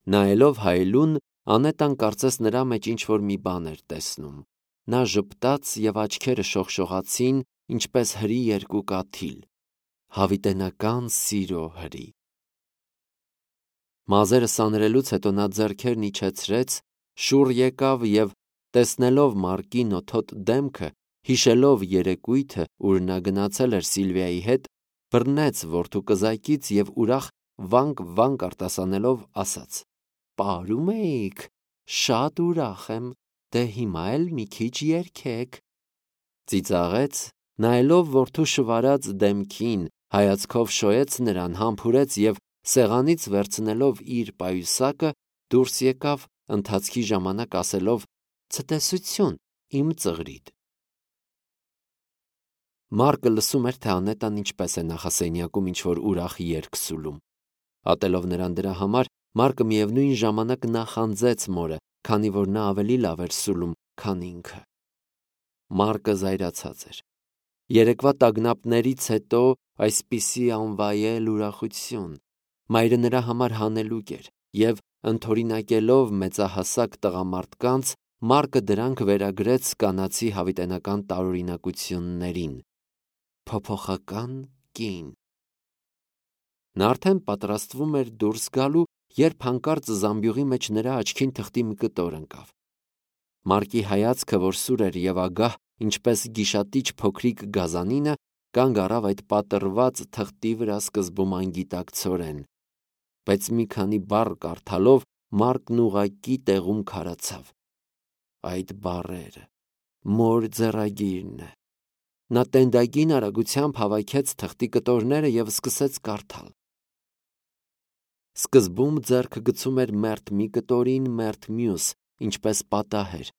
Նայելով Հայելուն, Անետան կարծես նրա մեջ ինչ-որ մի բան էր տեսնում։ Նա ժպտաց և աչքերը շողշողացին, ինչպես հրի երկու կաթիլ։ Հավիտենական սիրո հրի։ Մազերը սանրելուց հետո նա ձեռքերն իջեցրեց, շուռ եկավ և, տեսնելով Մարկի նոթոտ դեմքը, հիշելով երեկույթը, ուր նա գնացել էր Սիլվիայի հետ, բռնեց որդու կզակից և ուրախ վանք արտասանելով ասաց. «Պարում էիք, շատ ուրախ եմ, դե հիմա էլ մի քիչ երգեք»։ Ծիծաղեց, նայելով որդու շվարած դեմքին, հայացքով շոյեց նրան, համբուրեց և սեղանից վերցնելով իր պայուսակը դուրս եկավ, ընթացքի ժամանակ ասելով. «Ցտեսություն, իմ ծղրիդ»։ Մարկը լսում էր, թե Անետան ինչպես է նախասենյակում ինչ-որ ուրախ երգ սուլում։ Ատելով նրան դրա համար, Մարկը միևնույն ժամանակ նախանձեց մորը, քանի որ նա ավելի լավ էր սուլում, քան ինքը։ Մարկը զայրացած էր։ Երեկվա տագնապներից հետո այսպիսի անվայել ուրախություն։ Մայրը նրա համար հանելուկ էր, և ընդօրինակելով մեծահասակ տղամարդկանց, Մարկը դրանք վերագրեց կանացի հավիտենական տարօրինակություններին։ Փոփոխական կին։ Նա արդեն պատրաստվում էր դուրս գալու, երբ հանկարծ զամբյուղի մեջ նրա աչքին թղթի մի կտոր ընկավ։ Մարկի հայացքը, որ սուր էր և ագահ, ինչպես գիշատիչ փոքրիկ գազանինը, կանգ առավ այդ պատռված թղթի վրա սկզբում անգիտակցորեն, բայց մի քանի բառ կարդալով Մարկն ուղղակի տեղում քարացավ։ Այդ բառերը, մոր ձեռագիրն է։ Նա տենդագին արագությամբ հավաքեց թղթի կտորները և սկսեց կարդալ։ Սկզբում ձեռքը գցում էր մերթ մի կտորին, մերթ մյուս, ինչպես պատահեր։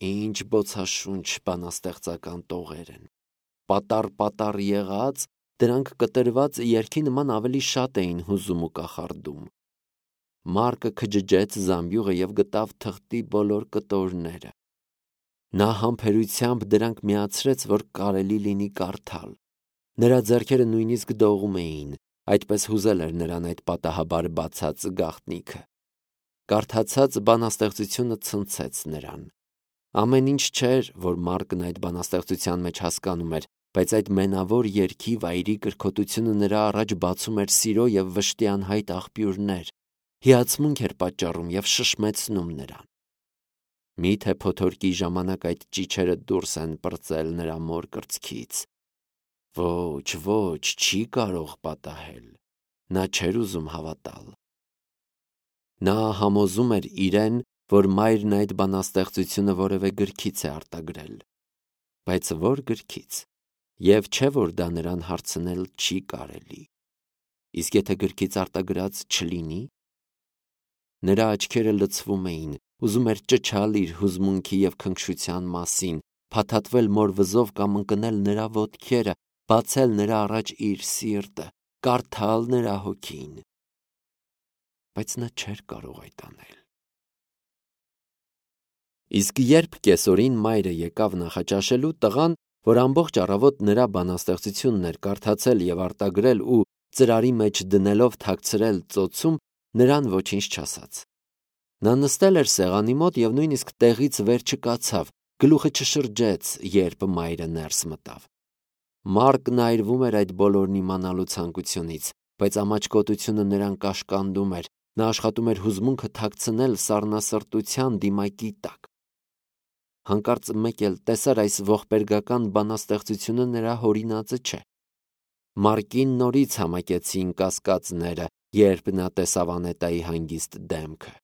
Ինչ բոցաշունչ բանաստեղծական տողեր են։ Պատառ եղած, դրանք կտրված երգի նման ավելի շատ էին հուզում ու կախարդում։ Մարկը քջջեց զամբյուղը և գտավ թղթի բոլոր կտորները։ Նա համբերությամբ դրանք միացրեց, որ կարելի լինի կարդալ։ Նրա ձեռքերը նույնիսկ դողում էին, այդպես հուզել էր նրան այդ պատահաբար բացած գաղտնիքը։ Կարդացած բանաստեղծությունը ցնցեց նրան։ Ամեն ինչ չէր, որ Մարկն այդ բանաստեղծության մեջ հասկանում էր, բայց այդ մենավոր երգի վայրի կրքոտությունը նրա առաջ բացում էր սիրո և վշտի անհայտ աղբյուրներ, հիացմունք էր պատճառում և շշմեցնում նրան։ Միթե փոթորկի ժամանակ այդ ճիչերը դուրս են պրծել նրա մոր կրծքից։ Ոչ, չի կարող պատահել։ Նա չէր ուզում հավատալ։ Նա համոզում էր իրեն, որ մայրն այդ բանաստեղծությունը որևէ գրքից է արտագրել։ Բայց որ գրքից։ Եվ չէ, որ դա նրան հարցնել չի կարելի։ Իսկ եթե գրքից արտագրած չլինի։ Նրա աչքերը լցվում էին, ուզում էր ճչալ իր հուզմունքի և քնքշության մասին, փաթաթվել մոր վզով կամ ընկնել նրա ոտքերը, բացել նրա առաջ իր սիրտը, կարդալ նրա հոգին։ Բայց նա չէր կարող այդ անել։ Իսկ երբ կեսօրին մայրը եկավ նախաճաշելու, տղան, որ ամբողջ առավոտ նրա բանաստեղծությունն էր կարդացել և արտագրել ու ծրարի մեջ դնելով թաքցրել ծոցում, նրան ոչինչ չասաց։ Նա նստել էր սեղանի մոտ և նույնիսկ տեղից վեր չկացավ, գլուխը չշրջեց, երբ մայրը ներս մտավ։ Մարկն այրվում էր այդ բոլորն իմանալու ցանկությունից, բայց ամաչկոտությունը նրան կաշկանդում էր, նա աշխատում էր հուզմունքը թաքցնել սառնասրտության դիմակի տակ։ Հանկարծ մեկ էլ տեսար այս ողբերգական բանաստեղծությունը նրա հորինածը չէ։ Մարկին նորից համակեցին կասկածները, երբ նա տեսավ Անետայի հանգիստ դեմքը։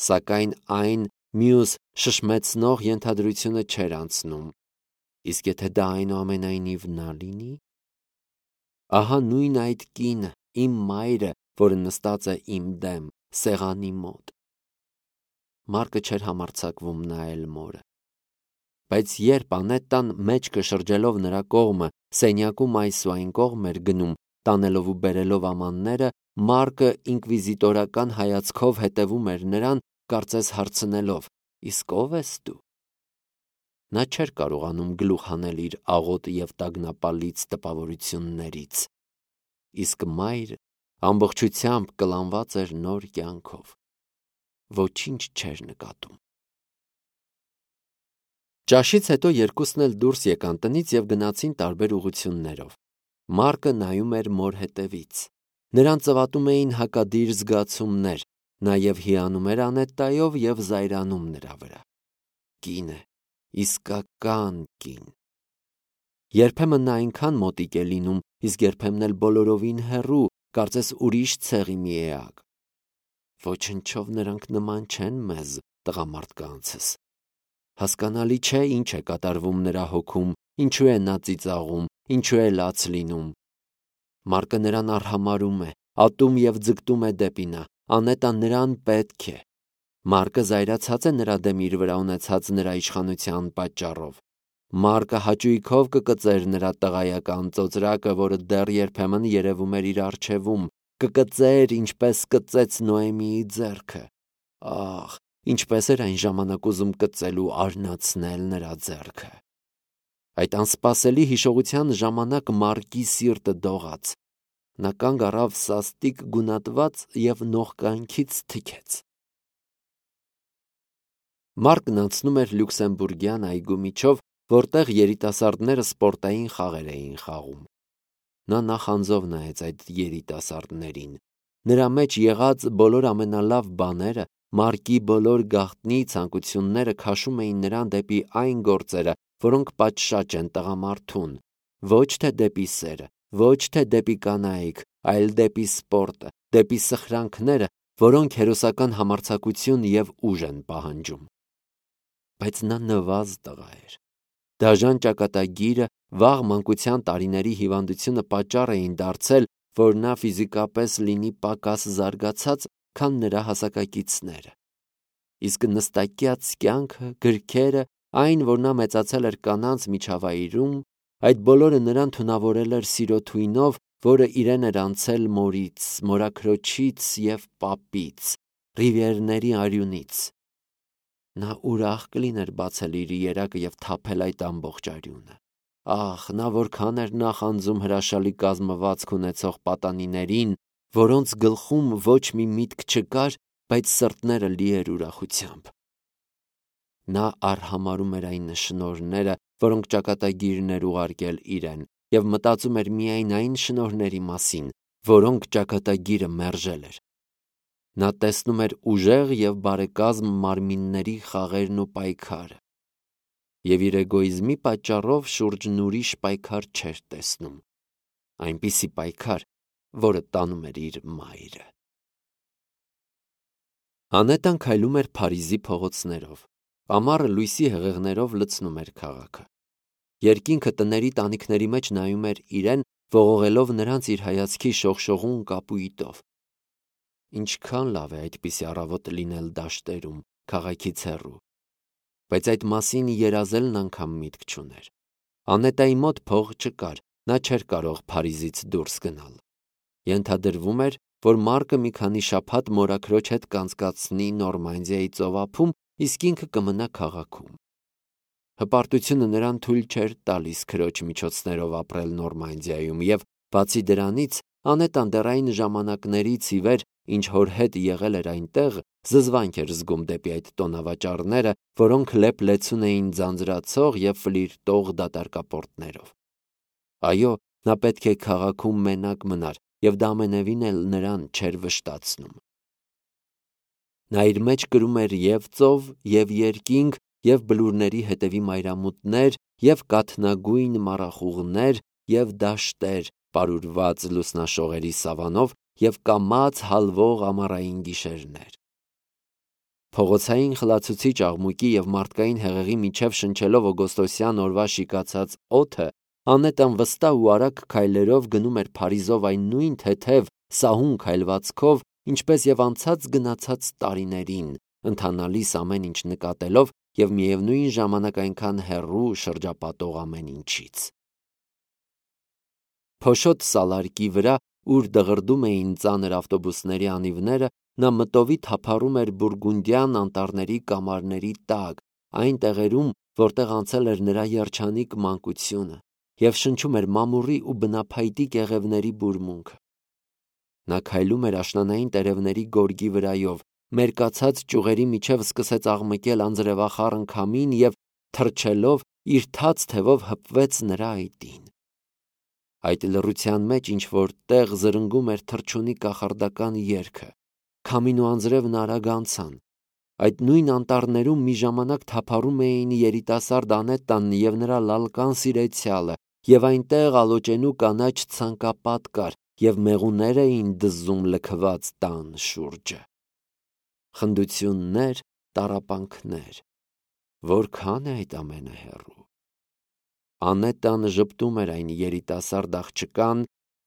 Սակայն այն մյուս շշմեցնող ենթադրությունը չէր անցնում։ Իսկ եթե դա այնուամենայնիվ նա լինի։ Ահա նույն այդ կինը, իմ մայրը, որը նստած է իմ դեմ, սեղանի մոտ։ Մարկը չէր համարձակվում նայել մորը։ Բայց երբ Անետան մեջքը շրջելով նրա կողմը սենյակում այս ու այն կողմ էր գնում, տանելով ու բերելով ամանները, Մարկը ինկվիզիտորական հայացքով հետևում էր նրան, կարծես հարցնելով. «Իսկ ո՞վ ես դու»։ Նա չէր կարողանում գլուխ հանել իր աղոտ և տագնապալից տպավորություններից։ Իսկ մայրը ամբողջությամբ կլանված էր նոր կյանքով։ Ոչինչ չէր նկատում։ Ճաշից հետո երկուսն էլ դուրս եկան տնից և գնացին տարբեր ուղղություններով։ Մարկը նայում էր մոր հետևից։ Նրան ծվատում էին հակադիր զգացումներ, նաև հիանում էր Անետտայով և զայրանում նրա վրա։ Կին է, իսկական կին։ Երբեմն նա այնքան մոտիկ է լինում, իսկ երբեմն էլ բոլորովին հեռու, կարծես ուրիշ ցեղի մի էակ։ Ոչնչով նրանք նման չեն մեզ, տղամարդկանցս։ Հասկանալի չէ ինչ է կատարվում նրա հոգում, ինչու է նա ծիծաղում, ինչու է լաց լինում։ Մարկը նրան արհամարհում է, ատում և ձգտում է դեպի նա, Անետան նրան պետք է։ Մարկը զայրացած է նրա դեմ իր վրա ունեցած նրա իշխանության պատճառով։ Մարկը հաճույքով կկծեր նրա տղայական ծոծրակը, որը դեռ երբեմն երևում էր իր առջևում, կկծեր, ինչպես կծեց Նոեմիի ձեռքը։ Ահ, ինչպես էր այն ժամանակ ուզում կծել ու արնացնել նրա ձեռքը։ Այդ անսպասելի հիշողության ժամանակ Մարկի սիրտը դողաց։ Նա կանգ առավ սաստիկ գունատված և նողկանքից թքեց։ Մարկն անցնում էր Լյուքսեմբուրգյան այգու միջով, որտեղ երիտասարդները սպորտային խաղեր էին խաղում։ Նա նախանձով նայեց այդ երիտասարդներին։ Նրա մեջ եղած բոլոր ամենալավ բաները, Մարկի բոլոր գաղտնի ցանկությունները քաշում էին նրան դեպի այն գործերը, որոնք պատշաճ են տղամարդուն, ոչ թե դեպի սերը, ոչ թե դեպի կանայք, այլ դեպի սպորտը, դեպի սխրանքները, որոնք հերոսական համարձակություն և ուժ են պահանջում։ Բայց նա նվազ տղա էր։ Դաժան ճակատագիրը, վաղ մանկության տարիների հիվանդությունը պատճառ էին դարձել, որ նա ֆիզիկապես լինի պակաս զարգացած, քան նրա հասակակիցները։ Իսկ նստակյաց կյանքը, գրքերը, այն, որ նա մեծացել էր կանանց միջավայրում, այդ բոլորը նրան թունավորել էր սիրո թույնով, որը իրեն էր անցել մորից, մորաքրոջից և պապից, ռիվիերների արյունից։ Նա ուրախ կլիներ բացել իր երակը և թափել այդ ամբողջ արյունը։ Ահ, նա որքան էր նախանձում հրաշալի կազմվածք ունեցող պատանիներին, որոնց գլխում ոչ մի միտք չկար, բայց սրտները լի էր ուրախությամբ։ Նա արհամարհում էր այն շնորհները, որոնք ճակատագիրն էր ուղարկել իրեն, և մտածում էր միայն այն շնորհների մասին, որոնք ճակատագիրը մերժել էր։ Նա տեսնում էր ուժեղ և բարեկազմ մարմինների խաղերն ու պայքարը, և իր էգոիզմի պատճառով շուրջն ուրիշ պայքար չէր տեսնում, այնպիսի պայքար, որը տանում էր իր մայրը։ Անետան քայլում էր Փարիզի փողոցներով։ Ամառը լույսի հեղեղներով լցնում էր քաղաքը։ Երկինքը տների տանիքների մեջ նայում էր իրեն, ողողելով նրանց իր հայացքի շողշողուն կապույտով։ Ինչքան լավ է այդպիսի առավոտ լինել դաշտերում, քաղաքից հեռու։ Բայց այդ մասին երազելն անգամ միտք չուներ։ Անետայի մոտ փող չկար, նա չէր կարող Փարիզից դուրս գնալ։ Ենթադրվում էր, որ Մարկը մի քանի շաբաթ մորաքրոջ հետ կանցկացնի Նորմանդիայի ծովափում, իսկ ինքը կմնա քաղաքում։ Հպարտությունը նրան թույլ չէր տալիս քրոջ միջոցներով ապրել Նորմանդիայում, և բացի դրանից, Անետան դեռ այն ժամանակներից ի վեր, ինչ հոր հետ եղել էր այնտեղ, զզվանք էր զգում դեպի այդ տոնավաճառները, որոնք լեփ-լեցուն էին ձանձրացող և ֆլիրտող դատարկապորտներով։ Այո, նա պետք է քաղաքում մենակ մնար, և դա ամենևին էլ նրան չէր վշտացնում։ Նա իր մեջ կրում էր և ծով, և երկինք, և բլուրների հետևի մայրամուտներ, և կաթնագույն մառախուղներ, և դաշտեր, պարուրված լուսնաշողերի սավանով, և կամաց հալվող ամառային գիշերներ։ Փողոցային խլացուցիչ աղմուկի և մարդկային հեղեղի միջև շնչելով օգոստոսյան օրվա շիկացած օդը, Անետան վստահ ու արագ քայլերով գնում էր Փարիզով այն նույն թեթև, սահուն քայլվածքով, ինչպես և անցած գնացած տարիներին, ընթանալիս ամեն ինչ նկատելով և միևնույն ժամանակ այնքան հեռու շրջապատող ամեն ինչից։ Փոշոտ սալարկի վրա, ուր դղրդում էին ծանր ավտոբուսների անիվները, նա մտովի թափառում էր բուրգունդյան անտառների կամարների տակ, այն տեղերում, որտեղ անցել էր նրա երջանիկ մանկությունը, և շնչում էր մամուռի ու բնափայտի կեղևների բուրմունքը։ Նա քայլում էր աշնանային տերևների գորգի վրայով, մերկացած ճյուղերի միջև սկսեց աղմկել անձրևախառն քամին և թռչելով իր թաց թևով հպվեց նրա այտին։ Այդ լռության մեջ ինչ-որ տեղ զրնգում էր թռչունի կախարդական երգը, քամին ու անձրևն արագ անցան։ Այդ նույն անտառներում մի ժամանակ թափառում էին երիտասարդ Անետտան և նրա լալկան սիրեցյալը, և այնտեղ ալոճենու կանաչ ցանկապատ կար, և մեղուներ էին դզում լքված տան շուրջը։ Խնդություններ, տառապանքներ, որքան է այդ ամենը հեռու։ Անետտան ժպտում էր այն երիտասարդ աղջկան,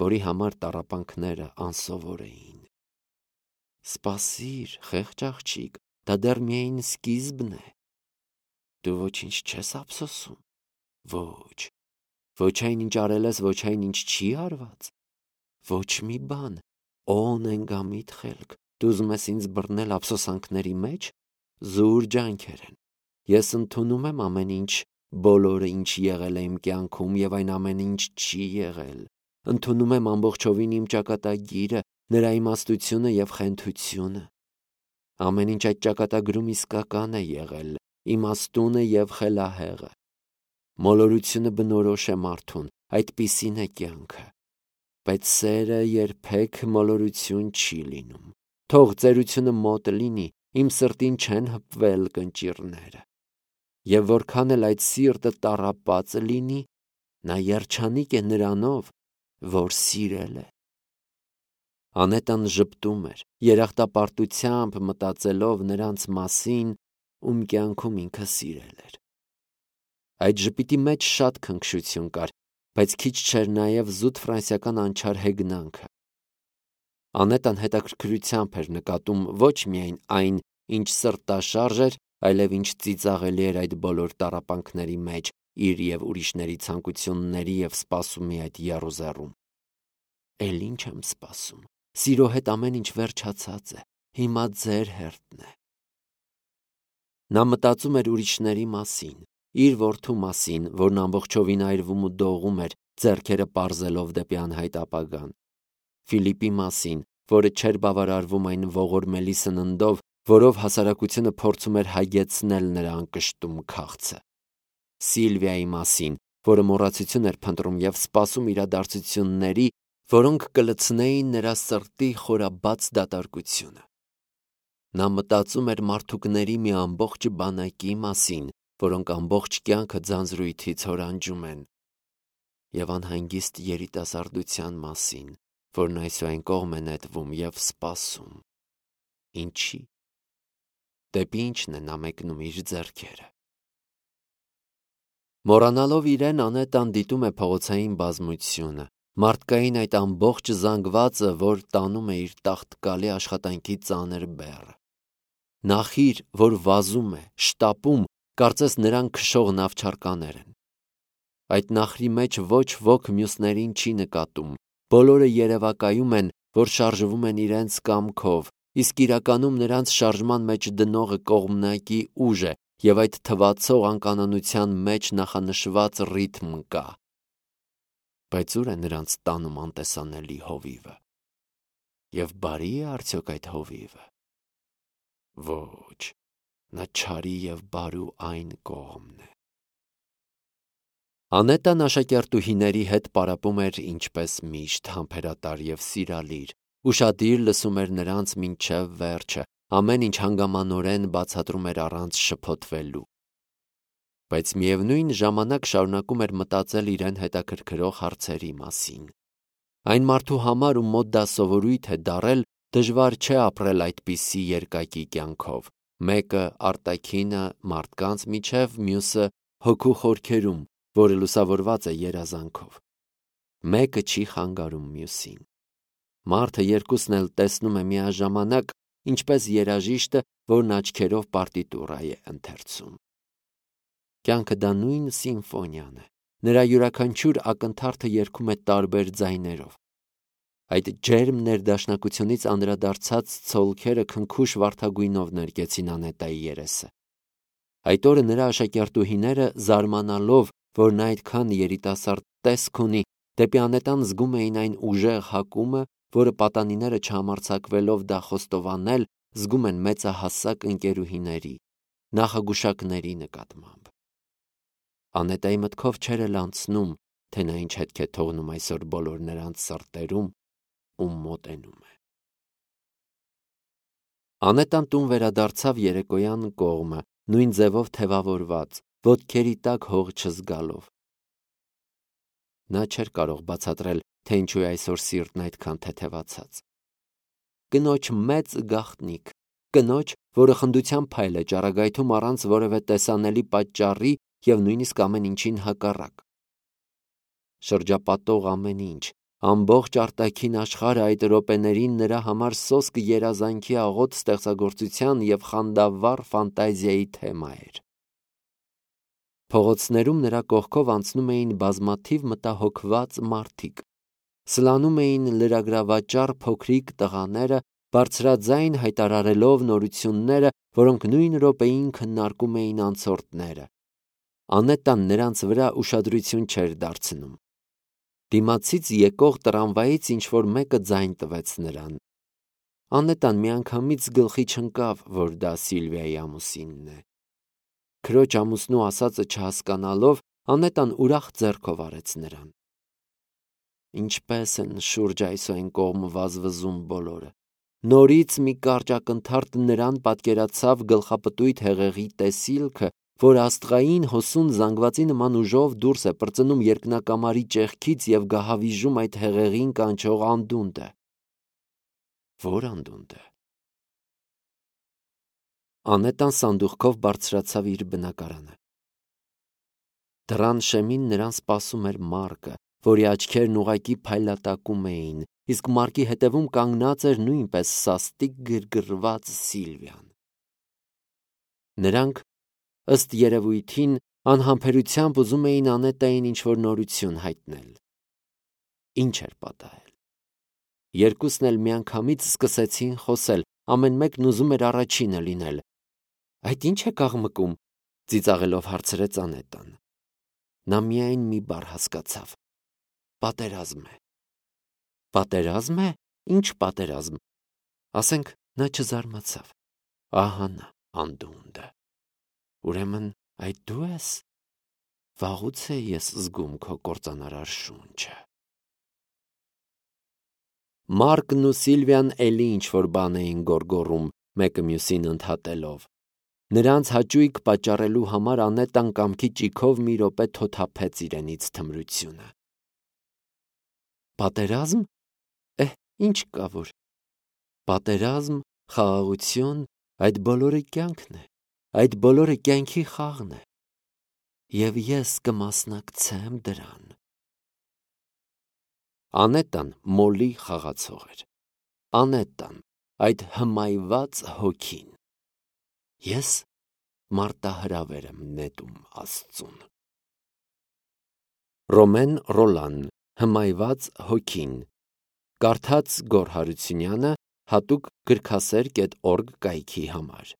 որի համար տառապանքները անսովոր էին։ Սպասիր, խեղճ աղջիկ, դա դեռ միայն սկիզբն է։ Դու ոչինչ չես ափսոսում։ Ոչ, ոչ այն ինչ արել ես, ոչ այն ինչ չի արված։ Ոչ մի բան, օ նենգամիտ խելք, դու ուզում ես ինձ բռնել ափսոսանքների մեջ։ Զուր ջանքեր են։ Ես ընդունում եմ ամեն ինչ, բոլորը ինչ եղել է իմ կյանքում և այն ամենը ինչ չի եղել։ Ընդունում եմ ամբողջովին իմ ճակատագիրը, նրա իմաստությունը և խենթությունը։ Ամեն ինչ այդ ճակատագրում իսկական է եղել, իմաստունը և խելահեղը։ Մոլորությունը բնորոշ է մարդուն, այդպիսին է կյանքը։ Բայց սերը երբեք մոլորություն չի լինում։ Թող ծերությունը մոտ լինի, իմ սրտին չեն հպվել կնճիռները։ Եվ որքան էլ այդ սիրտը տառապած լինի, նա երջանիկ է նրանով, որ սիրել է։ Անետտան ժպտում էր, երախտապարտությամբ մտածելով նրանց մասին, ում կյանքում ինքը սիրել էր։ Այդ ժպիտի մեջ շատ քնքշություն կար, բայց քիչ չէր նաև զուտ ֆրանսիական անչար հեգնանքը։ Անետտան հետաքրքրությամբ էր նկատում ոչ միայն այն, ինչ սրտաշարժ էր, այլև ինչ ծիծաղելի էր այդ բոլոր տառապանքների մեջ, իր և ուրիշների ցանկությունների և սպասումի այդ եռուզեռում։ Էլ ինչ եմ սպասում։ Սիրո հետ ամեն ինչ վերջացած է։ Հիմա ձեր հերթն է։ Նա մտածում էր ուրիշների մասին, իր որդու մասին, որն ամբողջովին այրվում ու դողում էր, ձեռքերը պարզելով դեպի անհայտ ապագան։ Ֆիլիպի մասին, որը չէր բավարարվում այն ողորմելի սննդով, որով հասարակությունը փորձում էր հագեցնել նրա անկշտում քաղցը։ Սիլվիայի մասին, որը մոռացություն էր փնտրում և սպասում իրադարձությունների, որոնք կլցնեին նրա սրտի խորաբաց դատարկությունը։ Նա մտածում էր մարդուկների մի ամբողջ բանակի մասին, որոնք ամբողջ կյանքը ձանձրույթից հորանջում են, և անհանգիստ երիտասարդության մասին, որն այսուայն կողմ է նետվում և սպասում։ Ինչի՞։ Դեպի ինչն է նա մեկնում իր ձեռքերը։ Մոռանալով իրեն, Անետտան դիտում է փողոցային բազմությունը, մարդկային այդ ամբողջ զանգվածը, որ տանում է իր տաղտկալի աշխատանքի ծանր բեռը։ Նախիր, որ վազում է, շտապում, կարծես նրան քշող նավչարկաներ են։ Այդ նախրի մեջ ոչ ոք մյուսներին չի նկատում, բոլորը երևակայում են, որ շարժվում են իրենց կամքով, իսկ իրականում նրանց շարժման մեջ դնողը կողմնակի ուժ է, և այդ թվացող անկանոնության մեջ նախանշված ռիթմ կա։ Բայց ուր է նրանց տանում անտեսանելի հովիվը։ Եվ բարի՞ է արդյոք այդ հովիվը։ Ոչ, նա չարի և բարու այն կողմն է։ Անետտան աշակերտուհիների հետ պարապում էր ինչպես միշտ, համբերատար և սիրալիր, ուշադիր լսում էր նրանց մինչև վերջը, ամեն ինչ հանգամանորեն բացատրում էր առանց շփոթվելու։ Բայց միևնույն ժամանակ շարունակում էր մտածել իրեն հետաքրքրող հարցերի մասին։ Այն մարդու համար, ում մոտ դա սովորույթ է դառել, դժվար չէ ապրել այդպիսի երկակի կյանքով, մեկը արտաքինը մարդկանց միջև, մյուսը հոգու խորքերում, որը լուսավորված է երազանքով։ Մեկը չի խանգարում մյուսին։ Մարդը երկուսն էլ տեսնում է միաժամանակ, ինչպես երաժիշտը, որն աչքերով պարտիտուրա է ընթերցում։ Կյանքը դա նույն սիմֆոնիան է։ Նրա յուրաքանչյուր ակնթարթը երգում է տարբեր ձայներով։ Այդ ջերմ ներդաշնակությունից անդրադարձած ցոլքերը քնքուշ վարդագույնով ներկեցին Անետտայի երեսը։ Այդ օրը նրա աշակերտուհիները, զարմանալով, որ նա այդքան երիտասարդ տեսք ունի, դեպի Անետտան զգում էին այն ուժեղ հակումը, որը պատանիները չհամարձակվելով դա խոստովանել, զգում են մեծահասակ ընկերուհիների, նախագուշակների նկատմամբ։ Անետայի մտքով չէր էլ անցնում, թե նա ինչ հետք է թողնում այսօր բոլոր նրանց սրտերում ու մոտենում է։ Անետան տուն վերադարձավ երեկոյան կողմը, նույն ձևով թևավորված, ոտքերի տակ հող չզգալով։ Նա չէր կարող բացատրել, թե ինչու է այսօր սիրտն այդքան թեթևացած։ Կնոջ մեծ գաղտնիք, կնոջ, որը խնդության փայլ է ճառագայթում առանց որևէ տեսանելի պատճառի և նույնիսկ ամեն ինչին հակառակ։ Շրջապատող ամեն ինչ, ամբողջ արտաքին աշխարհը այդ րոպեներին նրա համար սոսկ երազանքի աղոտ ստեղծագործության և խանդավառ ֆանտազիայի թեմա էր։ Փողոցներում նրա կողքով անցնում էին բազմաթիվ մտահոգված մարդիկ, սլանում էին լրագրավաճառ փոքրիկ տղաները, բարձրաձայն հայտարարելով նորությունները, որոնք նույն րոպեին քննարկում էին անցորդները։ Անետան նրանց վրա ուշադրություն չէր դարձնում։ Դիմացից եկող տրամվայից ինչ-որ մեկը ձայն տվեց նրան։ Անետան միանգամից գլխի չընկավ, որ դա Սիլվիայի ամուսինն է։ Քրոջ ամուսնու ասածը չհասկանալով, Անետան ուրախ ձեռքով արեց նրան։ Ինչպես են շուրջ այս ու այն կողմ վազվզում բոլորը։ Նորից մի կարճ ակնթարթ նրան պատկերացավ գլխապտույտ հեղեղի տեսիլքը, որ աստղային հոսուն զանգվածի նման ուժով դուրս է պրծնում երկնակամարի ճեղքից և գահավիժում այդ հեղեղին կանչող անդունդը։ Ո՞ր անդունդը։ Անետան սանդուղքով բարձրացավ իր բնակարանը։ Դռան շեմին նրան սպասում էր Մարկը, որի աչքերն ուղղակի փայլատակում էին, իսկ Մարկի հետևում կանգնած էր նույնպես սաստիկ գրգռված Սիլվիան։ Նրանք, ըստ երևույթին, անհամբերությամբ ուզում էին Անետային ինչ-որ նորություն հայտնել։ Ինչ էր պատահել։ Երկուսն էլ միանգամից սկսեցին խոսել, ամեն մեկն ուզում էր առաջինը լինել։ Այդ ի՞նչ եք աղմկում, ծիծաղելով հարցրեց Անետան։ Նա միայն մի բառ հասկացավ. պատերազմ է։ Պատերազմ է։ Ինչ պատերազմ։ Ասենք նա չզարմացավ։ Ահա նա անդունդը։ Ուրեմն այդ դու ես։ Վաղուց է ես զգում քո կործանարար շունչը։ Մարկն ու Սիլվիան էլի ինչ-որ բան էին գոռգոռում, մեկը մյուսին ընդհատելով։ Նրանց հաճույք պատճառելու համար Անետան կամքի ճիգով մի րոպե թոթափեց իրենից թմրությունը։ Պատերազմ։ Ինչ կա որ։ Պատերազմ, խաղաղություն, այդ բոլորը կյանքն է, այդ բոլորը կյանքի խաղն է։ Եվ ես կմասնակցեմ դրան։ Անետան մոլի խաղացող էր։ Անետան, այդ հմայված հոգին։ Ես մարտահրավեր եմ նետում Աստծուն։ Ռոմեն Ռոլան, Հմայված հոգին։ Կարդաց Գոռ Հարությունյանը, հատուկ գրքասեր.org կայքի համար։